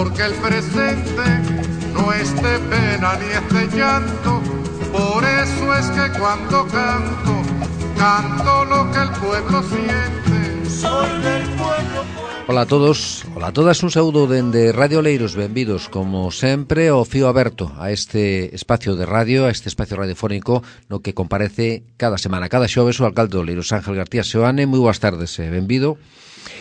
porque el presente no es de pena ni es de llanto. Por eso es que cuando canto, canto lo que el pueblo siente. Soy del pueblo. Ola a todos, ola a todas, un saúdo dende Radio Oleiros, benvidos como sempre ao fío aberto a este espacio de radio, a este espacio radiofónico no que comparece cada semana, cada xoves o alcalde de Oleiros, Ángel García Seoane. Moi boas tardes, benvido.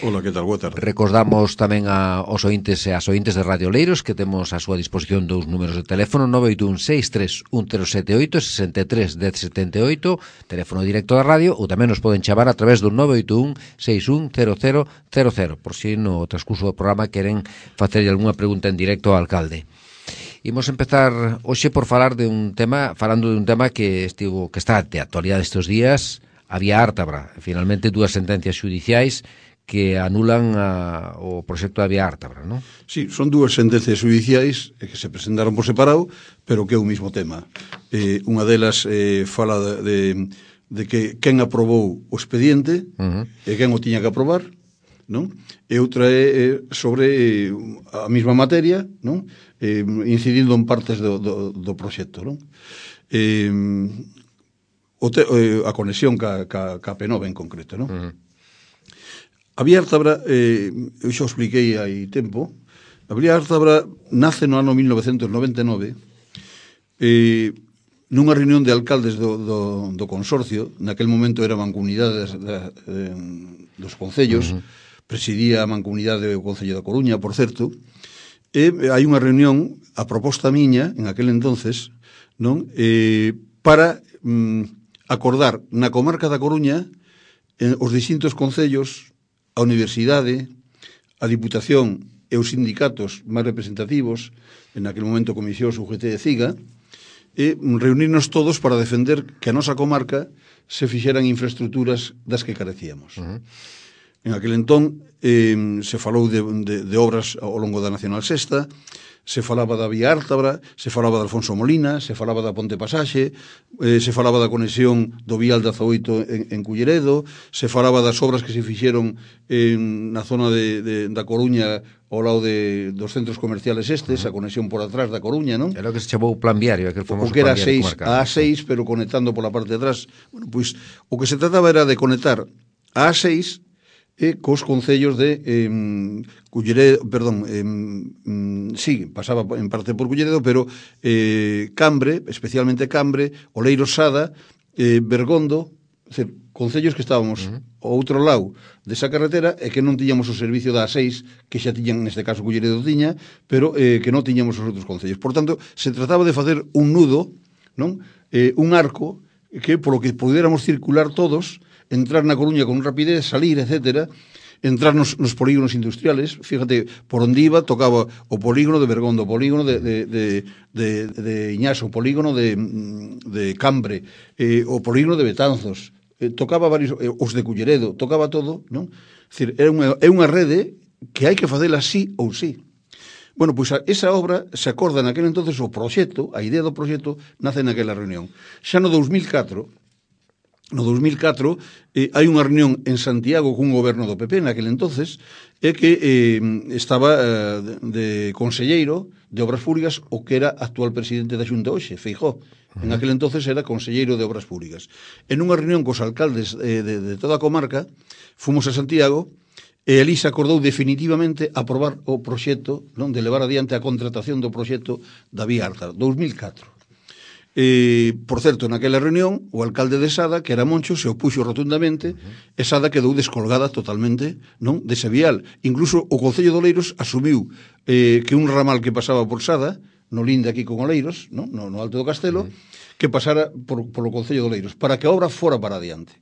Hola, que tal? Boa tarde. Recordamos tamén aos ointes e as ointes de Radio Oleiros que temos a súa disposición dous números de teléfono: 981-63-1078 63-1078, teléfono directo da radio, ou tamén nos poden chamar a través do 981-610000, por si no transcurso do programa queren facerlle algunha pregunta en directo ao alcalde. Imos empezar hoxe por falar de un tema, falando de un tema que está de actualidade estes días, a vía Ártabra. Finalmente, dúas sentencias xudiciais que anulan o proxecto da vía Ártabra, non? Sí, son dúas sentencias judiciais que se presentaron por separado, pero que é o mismo tema. Unha delas fala de que quen aprobou o expediente e quen o tiña que aprobar, non? E outra é sobre a mesma materia, non? Incidindo en partes do proxecto, non? A conexión ca P9 en concreto, non? A vía Ártabra, eu xa o expliquei hai tempo, a vía Ártabra nace no ano 1999 nunha reunión de alcaldes do consorcio. Naquel momento era a mancomunidade dos concellos, presidía a mancomunidade do Concello da Coruña, por certo, e hai unha reunión, a proposta miña, en aquel entonces, non, para acordar na comarca da Coruña os distintos concellos, a universidade, a Diputación e os sindicatos máis representativos, en aquel momento Comisión UGT de CIGA, e reunirnos todos para defender que a nosa comarca se fixeran infraestructuras das que carecíamos. En aquel entón se falou de obras ao longo da Nacional Sexta, se falaba da vía Ártabra, se falaba de Alfonso Molina, se falaba da Ponte Pasaxe, se falaba da conexión do vial 18 en Culleredo, se falaba das obras que se fixeron na zona da Coruña ao lado dos centros comerciales estes, a conexión por atrás da Coruña, non? Era o que se chamou o plan viario, aquel famoso o que era plan viario a A6, pero conectando pola parte de atrás. Bueno, pois, o que se trataba era de conectar a A6 cos concellos de Culleredo, sí, pasaba en parte por Culleredo, pero Cambre, especialmente Cambre, Oleiros Sada, Bergondo, concellos que estábamos ao outro lado desa carretera e que non tiñamos o servicio da A6, que xa tiñan, neste caso Culleredo tiña, pero que non tiñamos os outros concellos. Por tanto, se trataba de facer un nudo, non? Un arco que polo que pudiéramos circular todos, entrar na Coruña con rapidez, salir, etcétera, entrar nos polígonos industriales. Fíjate, por onde iba, tocaba o polígono de Bergondo, o polígono de Iñaso, o polígono de Cambre, o polígono de Betanzos, tocaba varios, os de Culleredo, tocaba todo, non? É dicir, é unha rede que hai que facela sí ou sí. Bueno, pois esa obra se acorda naquele entonces o proxecto, a idea do proxecto nace naquela reunión. Xa no 2004 hai unha reunión en Santiago cun goberno do PP naquele entonces, e que estaba de conselleiro de Obras Públicas o que era actual presidente da Xunta hoxe, Feijóo. En aquel entonces era conselleiro de Obras Públicas. En unha reunión cos alcaldes de toda a comarca, fomos a Santiago, e ali se acordou definitivamente aprobar o proxecto, non, de levar adiante a contratación do proxecto da vía Ártabra, 2004. Por certo, naquela reunión o alcalde de Sada, que era Moncho, se opuxo rotundamente, e Sada quedou descolgada totalmente, non, dese vial. Incluso o Concello de Oleiros asumiu que un ramal que pasaba por Sada, no linde aquí con Oleiros, non, no Alto do Castelo, que pasara polo Concello de Oleiros, para que a obra fora para adiante.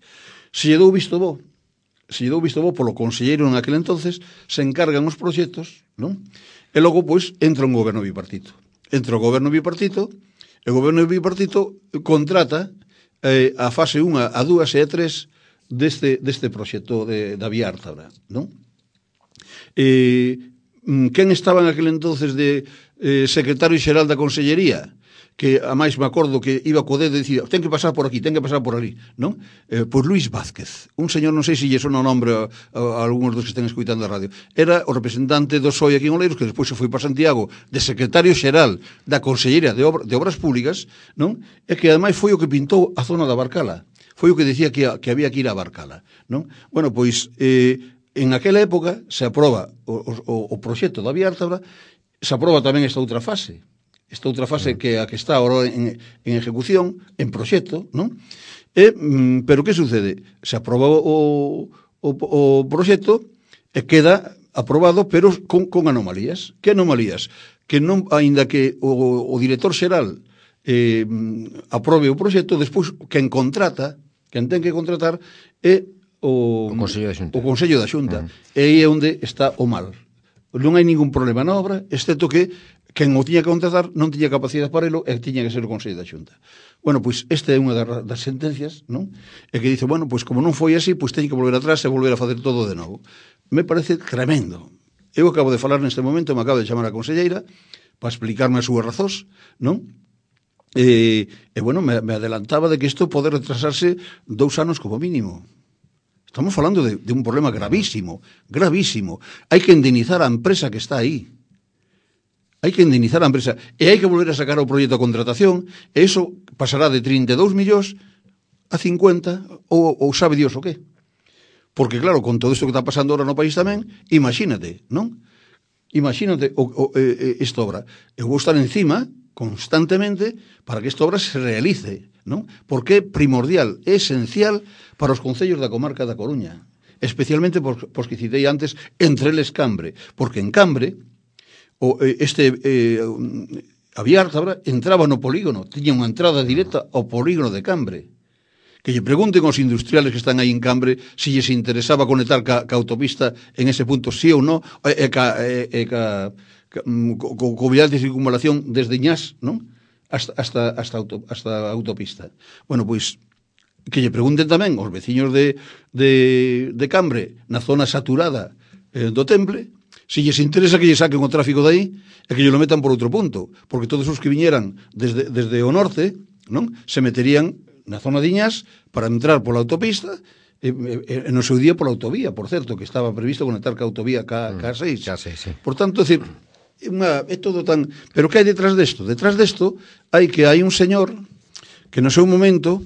Se lle dou visto bo polo conselleiro en aquel entonces, se encargan os proxectos, non? E logo, pois, entra un goberno bipartito. Entra o goberno bipartito, e o goberno bipartito contrata a fase 1, a 2 e a 3 deste proxecto da vía Ártabra, non? Quen estaba en aquel entonces de secretario xeral da Consellería, que a máis me acordo que iba co dedo e dicía, ten que pasar por aquí, ten que pasar por ali, non? Pois Luís Vázquez, un señor, non sei se lle sona o nombre a algúns dos que estén escuitando a radio, era o representante do PSOE aquí en Oleiros, que despois se foi para Santiago de secretario xeral da Consellería de Obras Públicas, non? E que ademais foi o que pintou a zona da Barcala, foi o que decía que había que ir a Barcala, non? Bueno, pois, en aquela época se aproba o proxecto da Vía Ártabra, se aproba tamén esta outra fase que a que está ahora en ejecución, en proxecto, non? Pero que sucede? Se aproba o proxecto e queda aprobado, pero con anomalías. Que anomalías? Que non, aínda que o director xeral aprobe o proxecto, despois quen ten que contratar é o Consello da Xunta. O Consello da Xunta. E aí é onde está o mal. Non hai ningún problema na obra, excepto que quen o tiña que contratar non tiña capacidade para elo e tiña que ser o Consello da Xunta. Bueno, pois esta é unha das sentencias, non? E que dice, bueno, pois como non foi así, pois teñen que volver atrás e volver a facer todo de novo. Me parece tremendo. Eu acabo de falar neste momento, me acabo de chamar a conselleira para explicarme as súas razóns, non? E bueno, me adelantaba de que isto pode retrasarse 2 anos como mínimo. Estamos falando de un problema gravísimo, gravísimo. Hai que indemnizar a empresa que está aí. Hai que indemnizar a empresa e hai que volver a sacar o proxecto de contratación e iso pasará de 32 millóns a 50 ou sabe Dios o qué. Porque claro, con todo isto que está pasando ahora no país tamén, imagínate, non? Imagínate esta obra. Eu vou estar encima constantemente para que esta obra se realice, non? Porque é primordial, é esencial para os concellos da comarca da Coruña, especialmente pos que citei antes, entre eles Cambre, porque en Cambre a Vía Ártabra entraba no polígono, tiña unha entrada directa ao polígono de Cambre. Que lle pregunten aos industriales que están aí en Cambre se lles interesaba conectar ca autopista en ese punto, sí ou non, co vial de circunvalación desde Ñás, non? Hasta a autopista. Bueno, pois, que lle pregunten tamén aos veciños de Cambre, na zona saturada do Temple, se lles interesa que lle saquen o tráfico de aí e que lle lo metan por outro punto, porque todos os que viñeran desde o norte, non? Se meterían na zona de Iñás para entrar pola autopista e no seu día pola autovía, por certo, que estaba previsto conectar ca autovía K6. Sí. Por tanto, é todo tan... Pero que hai detrás desto? Detrás desto hai un señor que no seu momento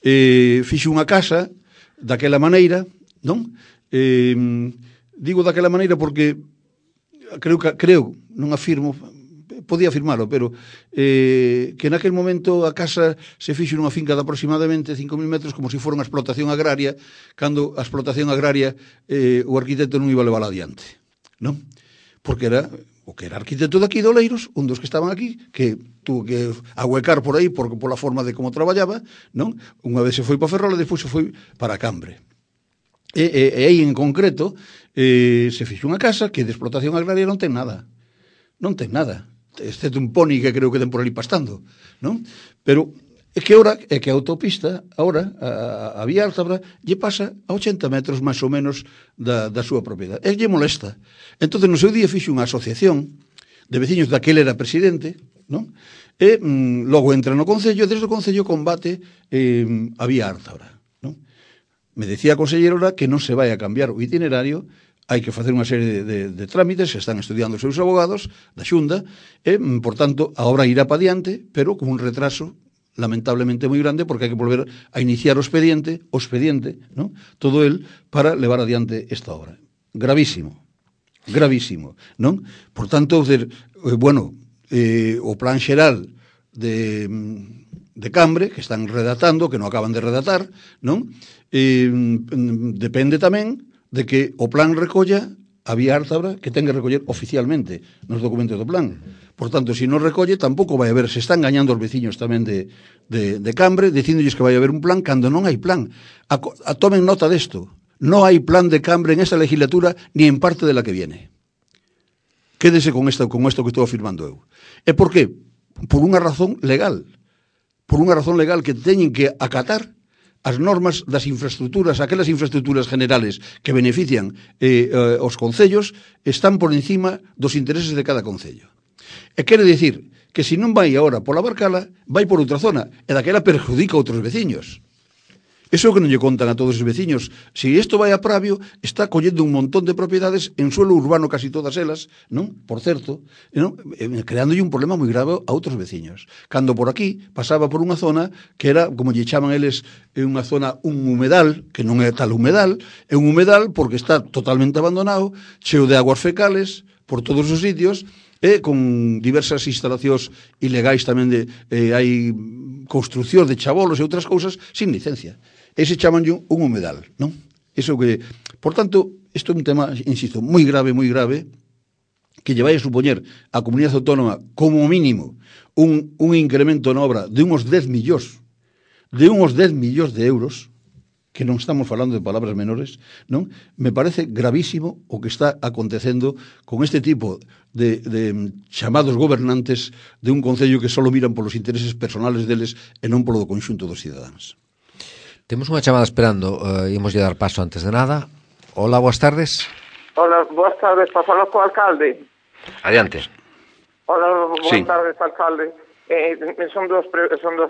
fixo unha casa daquela maneira, non? Digo daquela maneira porque creo, non afirmo, podía afirmalo, pero que naquel momento a casa se fixo nunha finca de aproximadamente 5.000 metros como se fora unha explotación agraria, cando a explotación agraria o arquitecto non iba a levar adiante, non? Porque era o que era arquitecto daqui de Oleiros, un dos que estaban aquí, que tuvo que ahuecar por aí pola forma de como traballaba, non? Unha vez se foi para Ferrol e despois se foi para Cambre. E aí en concreto se fixo unha casa que de explotación agraria non ten nada, excepto un poni que creo que ten por ali pastando, non? Pero é que a autopista agora, a Vía Ártabra lle pasa a 80 metros máis ou menos da súa propiedade, e lle molesta. Entonces no seu día fixo unha asociación de veciños daquele era presidente, non? E logo entra no Concello e desde o Concello combate a Vía Ártabra. Me decía a conselleira que non se vai a cambiar o itinerario, hai que facer unha serie de trámites, se están estudiando os seus abogados da Xunta, e, por tanto, a obra irá para diante, pero con un retraso lamentablemente moi grande, porque hai que volver a iniciar o expediente, non? Todo el para levar adiante esta obra. Gravísimo, non? Por tanto, o plan xeral de Cambre, que están redactando, que non acaban de redactar, non? Depende tamén de que o plan recolla a Vía Ártabra, que ten que recoller oficialmente nos documentos do plan. Por tanto, se non recolle, tampouco vai haber, se están gañando os veciños tamén de Cambre, dicíndolles que vai haber un plan cando non hai plan. Tomen nota desto. Non hai plan de Cambre en esta legislatura ni en parte de la que viene. Quédese con esto que estou afirmando eu. E por qué? Por unha razón legal. Por unha razón legal que teñen que acatar as normas das infraestructuras, aquelas infraestructuras generales que benefician os concellos, están por encima dos intereses de cada concello. E quere dicir que se non vai agora pola Barcala, vai por outra zona, e daquela perjudica a outros veciños. Eso é o que non lle contan a todos os veciños. Se isto vai a Pravio, está collendo un montón de propiedades en suelo urbano, casi todas elas, non? Por certo, non? Creándolle un problema moi grave a outros veciños. Cando por aquí pasaba por unha zona que era, como lle chaman eles, unha zona, un humedal, que non é tal humedal, é un humedal porque está totalmente abandonado, cheo de aguas fecales por todos os sitios, e con diversas instalacións ilegais tamén de hai construcción de chabolos e outras cousas sin licencia. Ese chamanlle un humedal, non? Eso que, por tanto, isto é un tema, insisto, moi grave, que lle vai a supoñer a comunidade autónoma como mínimo un incremento na obra de uns 10 millóns de euros, que non estamos falando de palabras menores, non? Me parece gravísimo o que está acontecendo con este tipo de chamados gobernantes de un concello que só miran polos intereses personales deles e non polo do conxunto dos cidadáns. Temos unha chamada esperando, imos lle dar paso antes de nada. Hola, boas tardes. Hola, boas tardes, para falar co alcalde. Adiante. Hola, boas tardes, alcalde. Son dos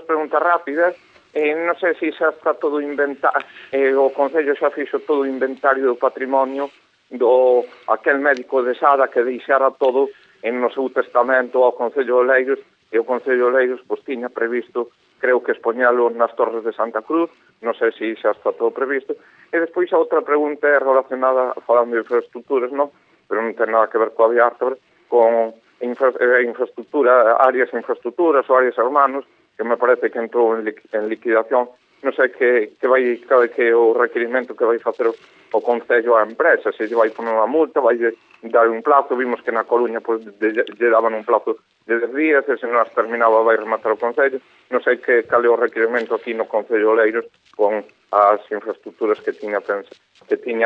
preguntas rápidas. Non sei se xa está todo inventado, o Concello xa fixo todo o inventario do patrimonio do aquel médico de Sada que deixara todo no seu testamento ao Concello de Oleiros, e o Concello de Oleiros pois tiña previsto, creo que expoñalo nas Torres de Santa Cruz, non sei se xa está todo previsto. E despois a outra pregunta é relacionada, falando de infraestructuras, non? Pero non ten nada que ver coa Vía Ártabra, con infraestructura, áreas infraestructuras ou áreas hermanos, que me parece que entrou en liquidación. Non sei que o requirimento que vai facer o Concello á empresa, se lle vai poner unha multa, vai dar un plazo. Vimos que na Coruña lle daban un plazo de 10 días, e se non as terminaba vai rematar o Concello. Non sei cal é o requirimento aquí no Concello de Oleiros con as infraestructuras que tiña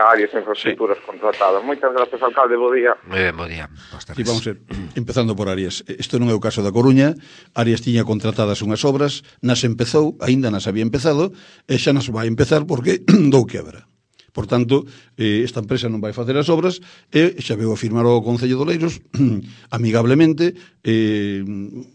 áreas infraestructuras contratadas. Moitas gracias, alcalde, bo día. Bo día. E vamos a ver, empezando por Arias. Isto non é o caso da Coruña. Arias tiña contratadas unhas obras, nas empezou, aínda nas había empezado, e xa nas vai empezar porque dou quebra. Por tanto, esta empresa non vai facer as obras e xa veu a firmar o Concello de Oleiros amigablemente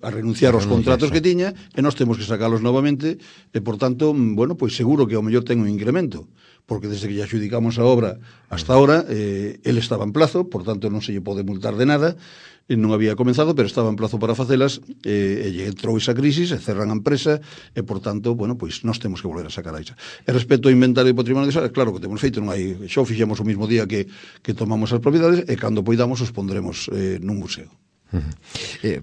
a renunciar aos contratos que tiña, e nós temos que sacalos novamente, e por tanto, bueno, pois seguro que ao mellor ten un incremento, porque desde que lle adjudicamos a obra hasta ahora, ele estaba en plazo, por tanto non se lle pode multar de nada, non había comenzado, pero estaba en plazo para facelas, e lle entrou esa crisis, e cerran a empresa, e por tanto, bueno, pois nós temos que volver a sacar a esa. E respecto ao inventario de patrimonio de Sala, claro que temos feito, non hai, xo fixemos o mismo día que tomamos as propiedades, e cando poidamos os pondremos nun museo.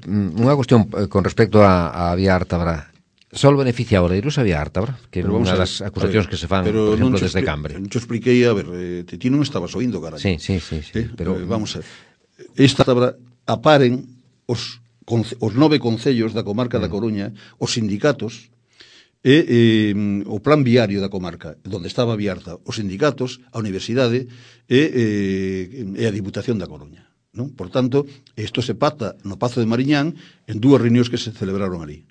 Unha cuestión con respecto a Vía Ártabra. Só beneficia a Oleiros a Vía Ártabra, que é unha das acusacións que se fan, por exemplo, desde Cambre. Non te expliquei, a ver, ti non estabas oindo, caralho. Sí, pero vamos a ver. Esta Ártabra aparen os 9 concellos da comarca da Coruña, os sindicatos, e o plan viario da comarca, onde estaba Viarta, os sindicatos, a universidade e a Diputación da Coruña, non? Por tanto, isto se pacta no Pazo de Mariñán en dúas reunións que se celebraron ali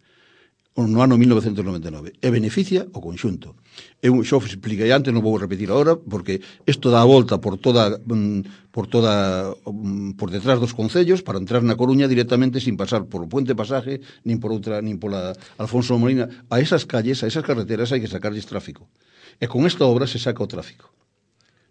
no ano 1999, e beneficia o conxunto. Eu xo expliquei antes, non vou repetir agora, porque isto dá a volta por detrás dos concellos para entrar na Coruña directamente sin pasar por o Puente Pasaje, nin pola Alfonso Molina. A esas calles, a esas carreteras hai que sacarlles tráfico. E con esta obra se saca o tráfico,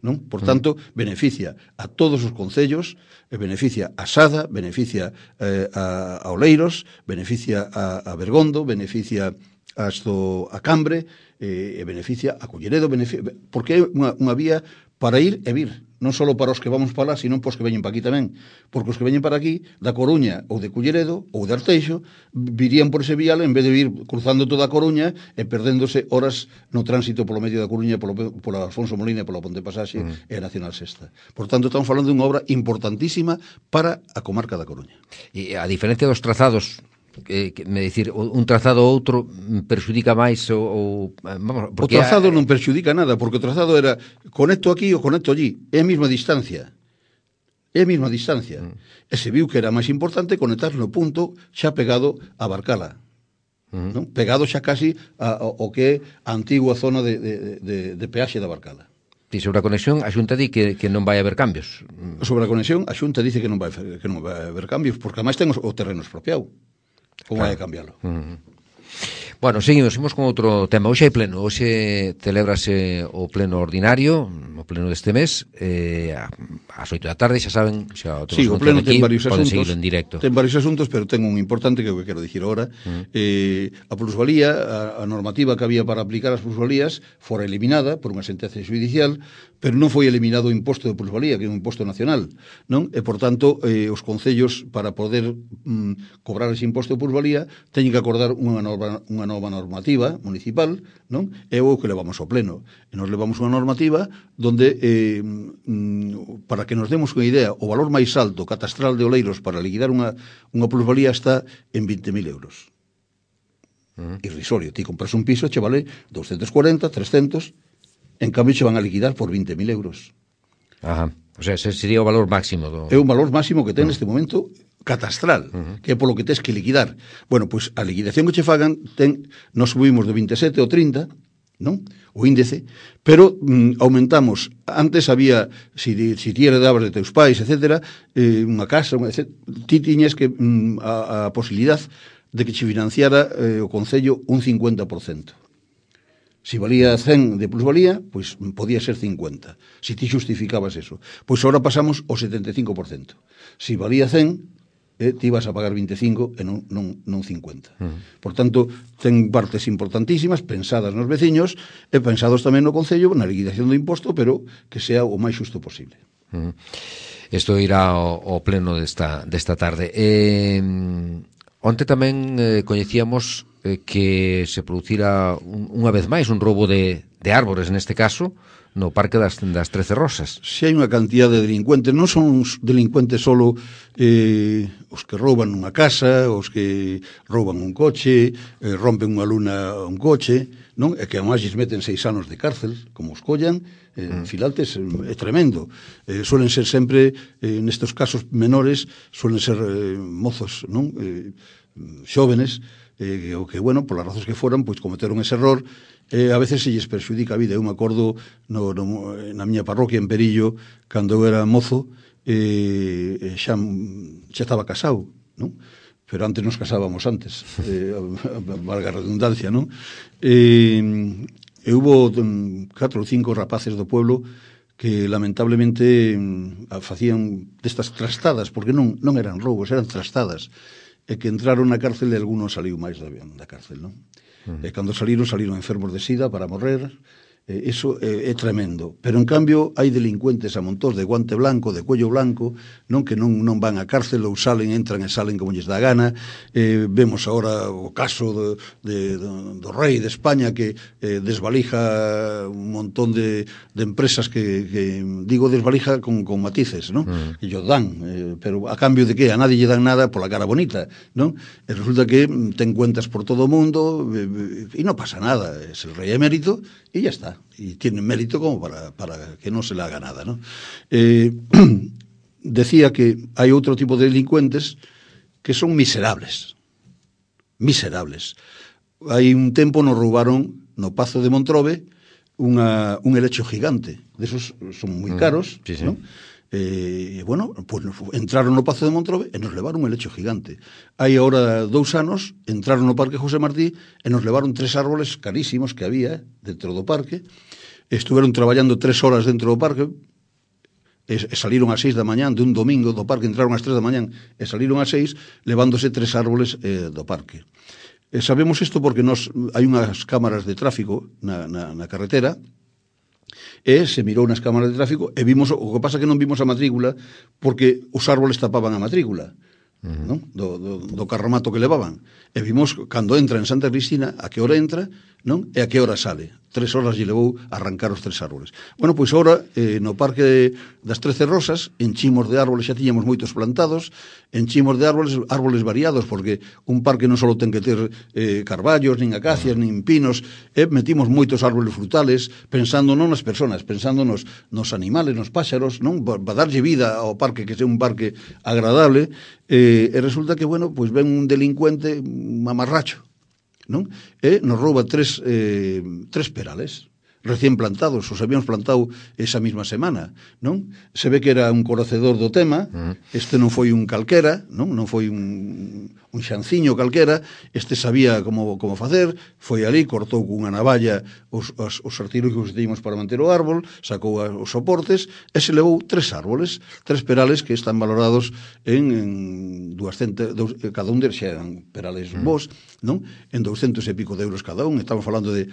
non? Por tanto, beneficia a todos os concellos, beneficia a Sada, beneficia a Oleiros, beneficia a Bergondo, beneficia a Cambre, e beneficia a Culleredo, porque é unha vía para ir e vir, non só para os que vamos para lá, sino para os que veñen para aquí tamén, porque os que veñen para aquí, da Coruña ou de Culleredo ou de Arteixo, virían por ese vial en vez de ir cruzando toda a Coruña e perdéndose horas no tránsito polo medio da Coruña, polo Alfonso Molina, polo Ponte Pasaxe e a Nacional Sexta. Por tanto, estamos falando dunha obra importantísima para a comarca da Coruña. E a diferencia dos trazados, me dicir, un trazado ou outro perxudica máis vamos, porque o trazado non perxudica nada, porque o trazado era conecto aquí ou conecto allí, é a mesma distancia, e se viu que era máis importante conectar no punto xa pegado a Barcala, non? Pegado xa casi ao que é a antigua zona de peaxe da Barcala. E sobre a conexión, a Xunta di que non vai haber cambios. Sobre a conexión, a Xunta dice que non vai haber cambios, porque además ten o terreno expropiado. Como vai a cambiarlo? Bueno, seguimos con outro tema. Hoxe hai pleno, hoxe celébrase o pleno ordinario, o pleno deste mes, ás 8 da tarde, xa saben, xa sí, o pleno ten varios asuntos, en directo. Ten varios asuntos, pero ten un importante que eu quero dicir ahora. A plusvalía, a normativa que había para aplicar as plusvalías fora eliminada por unha sentencia judicial, pero non foi eliminado o imposto de plusvalía, que é un imposto nacional, non? E, por tanto, os concellos, para poder cobrar ese imposto de plusvalía, teñen que acordar unha nova normativa municipal, non? É o que levamos ao pleno. E nos levamos unha normativa donde, para que nos demos unha idea, o valor máis alto catastral de Oleiros para liquidar unha plusvalía está en 20.000 euros. Irrisorio. Ti compras un piso, che vale 240, 300... En cambio, se van a liquidar por 20.000 euros. Ajá. O sea, ese sería o valor máximo. É o valor máximo que ten neste momento catastral, que é polo que tes que liquidar. Bueno, pois a liquidación que che fagan, nos subimos de 27 ao 30, non? O índice, pero aumentamos. Antes había, si ti heredabas de teus pais, etcétera, unha casa, ti tiñes que a posibilidad de que che financiara o Concello un 50%. Si valía 100 de plusvalía, pois podía ser 50, si ti justificabas eso. Pois agora pasamos ao 75%. Si valía 100, ti ibas a pagar 25 e non 50. Por tanto, ten partes importantísimas, pensadas nos veciños, e pensados tamén no Concello, na liquidación do imposto, pero que sea o máis xusto posible. Isto irá ao pleno desta tarde. Onte tamén coñecíamos que se producira unha vez máis un roubo de árbores, neste caso, no Parque das 13 Rosas. Se hai unha cantidad de delincuentes, non son os delincuentes solo os que rouban unha casa, os que rouban un coche, rompen unha luna un coche, non? E que además lles meten 6 anos de cárcel, como os collan, filaltes, é tremendo. Suelen ser sempre, nestes casos menores, suelen ser mozos, non? Xóvenes, que, bueno, polas razóns que foran, pois cometeron ese error, a veces se lles perxudica a vida. Eu me acordo na miña parroquia en Perillo, cando eu era mozo, xa estaba casado, non? Pero antes nos casábamos antes, valga a redundancia, non? E hubo 4 ou 5 rapaces do pueblo que lamentablemente facían destas trastadas, porque non eran roubos, eran trastadas, e que entraron na cárcel e algunos saliu máis da cárcel, non? E cando saliron enfermos de sida para morrer. Eso é tremendo. Pero, en cambio, hai delincuentes a montón de guante blanco, de cuello blanco, non que non van á cárcel ou entran e salen como lles dá gana. Vemos agora o caso do rei de España que desvalija un montón de empresas que digo desvalija con matices, non? Que yo dan, pero a cambio de que a nadie lle dan nada pola cara bonita, non? E resulta que ten cuentas por todo o mundo e non pasa nada. Es el rei emérito e ya está. Y tiene mérito como para que no se le haga nada, ¿no? Decía que hay otro tipo de delincuentes que son miserables. Hai un tempo nos roubaron no Pazo de Montrobe un helecho gigante. De esos son moi caros, sí. ¿No? Bueno, pues entraron no Pazo de Montrobe e nos levaron un helecho gigante. Hai agora 2 anos entraron no Parque José Martí e nos levaron 3 árboles carísimos que había dentro do parque. Estuveron traballando 3 horas dentro do parque e saliron ás 6 da mañán de un domingo do parque, entraron ás 3 da mañán e saliron ás 6 levándose 3 árboles do parque. Sabemos isto porque hai unhas cámaras de tráfico na carretera e se mirou nas cámaras de tráfico e vimos, o que pasa que non vimos a matrícula porque os árboles tapaban a matrícula, non? Do carromato que levaban, e vimos cando entra en Santa Cristina a que hora entra, non? E a que hora sale. 3 horas lle levou arrancar os 3 árboles. Bueno, pois agora no Parque das 13 Rosas enchimos de árboles, xa tiñamos moitos plantados, enchimos de árboles variados, porque un parque non só ten que ter carballos, nin acacias, nin pinos, metimos moitos árboles frutales, pensando non nas persoas, pensando nos animales, nos páxaros, non? Para darlle vida ao parque, que sea un parque agradable, e resulta que, bueno, pois ven un delincuente, un mamarracho, non? E nos rouba 3 perales. recién plantados, os habíamos plantado esa mesma semana, non? Se ve que era un conocedor do tema, este non foi un calquera, non foi un xanciño calquera, este sabía como facer, foi ali, cortou cunha navalla os artilugios que teníamos para manter o árbol, sacou os soportes, e se levou 3 árboles, 3 perales que están valorados en 200, cada un deles eran perales bons, non? En 200 e pico de euros cada un, estamos falando de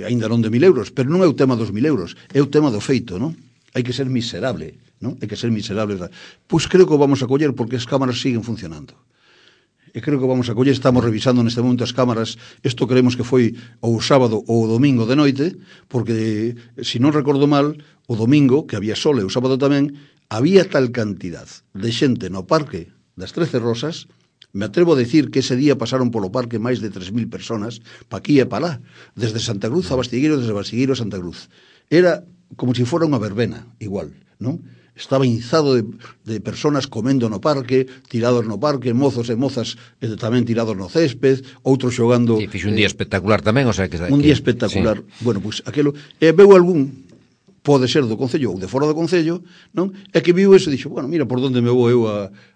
aínda non de 1.000 euros, pero non é o tema dos 1.000 euros, é o tema do feito, non? Hai que ser miserable, non? Hai que ser miserable. Pois creo que o vamos a coller porque as cámaras siguen funcionando. E creo que vamos a coller, estamos revisando neste momento as cámaras, isto creemos que foi o sábado ou o domingo de noite, porque, se non recordo mal, o domingo, que había sol e o sábado tamén, había tal cantidad de xente no parque das 13 Rosas. Me atrevo a decir que ese día pasaron polo parque máis de 3.000 personas, pa aquí e pa lá, desde Santa Cruz a Bastigueiro, desde Bastigueiro a Santa Cruz. Era como se fora unha verbena, igual, non? Estaba inzado de personas comendo no parque, tirados no parque, mozos e mozas tamén tirados no césped, outros xogando... E fixo un día espectacular tamén, o sea que... Un día espectacular. Sí. Bueno, pois aquelo... veu algún, pode ser do Concello ou de fora do Concello, non? E que viu eso e dixo, bueno, mira por onde me vou eu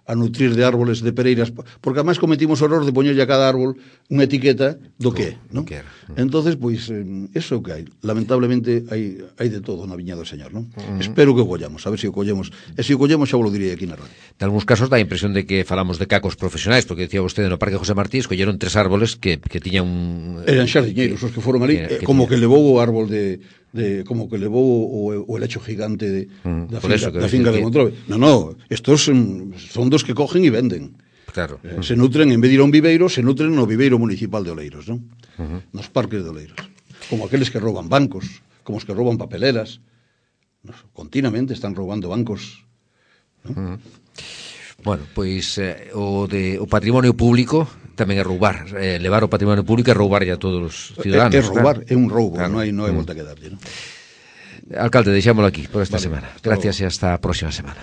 a nutrir de árboles de pereiras, porque además cometimos o error de poñerlle a cada árbol unha etiqueta do que é, non? Entonces, pois, eso é o que hai. Lamentablemente hai de todo na viña do Señor, non? Espero que o collamos, a ver se o collemos. E se o collemos xa vos lo direi aquí na radio. En algúns casos dá a impresión de que falamos de cacos profesionais, porque decía vostede no Parque José Martí, escolleron 3 árboles que tiñan un... Eran xardiñeiros os que foron ali, como que levou o árbol como que levou o helecho gigante da finca de Montrove. No, estos son dos que cogen e venden. Claro. Se nutren, en vez de ir a un viveiro, se nutren no viveiro municipal de Oleiros, non? Nos parques de Oleiros. Como aqueles que roban bancos, como os que roban papeleras. Continuamente están roubando bancos, non? Bueno, pois o patrimonio público tamén é roubar, levar o patrimonio público é roubar a todos os ciudadanos. É roubar, claro. É un roubo, claro. Non hai volta que darlle, non? Alcalde, deixámoslo aquí por esta semana. Gracias e hasta a próxima semana.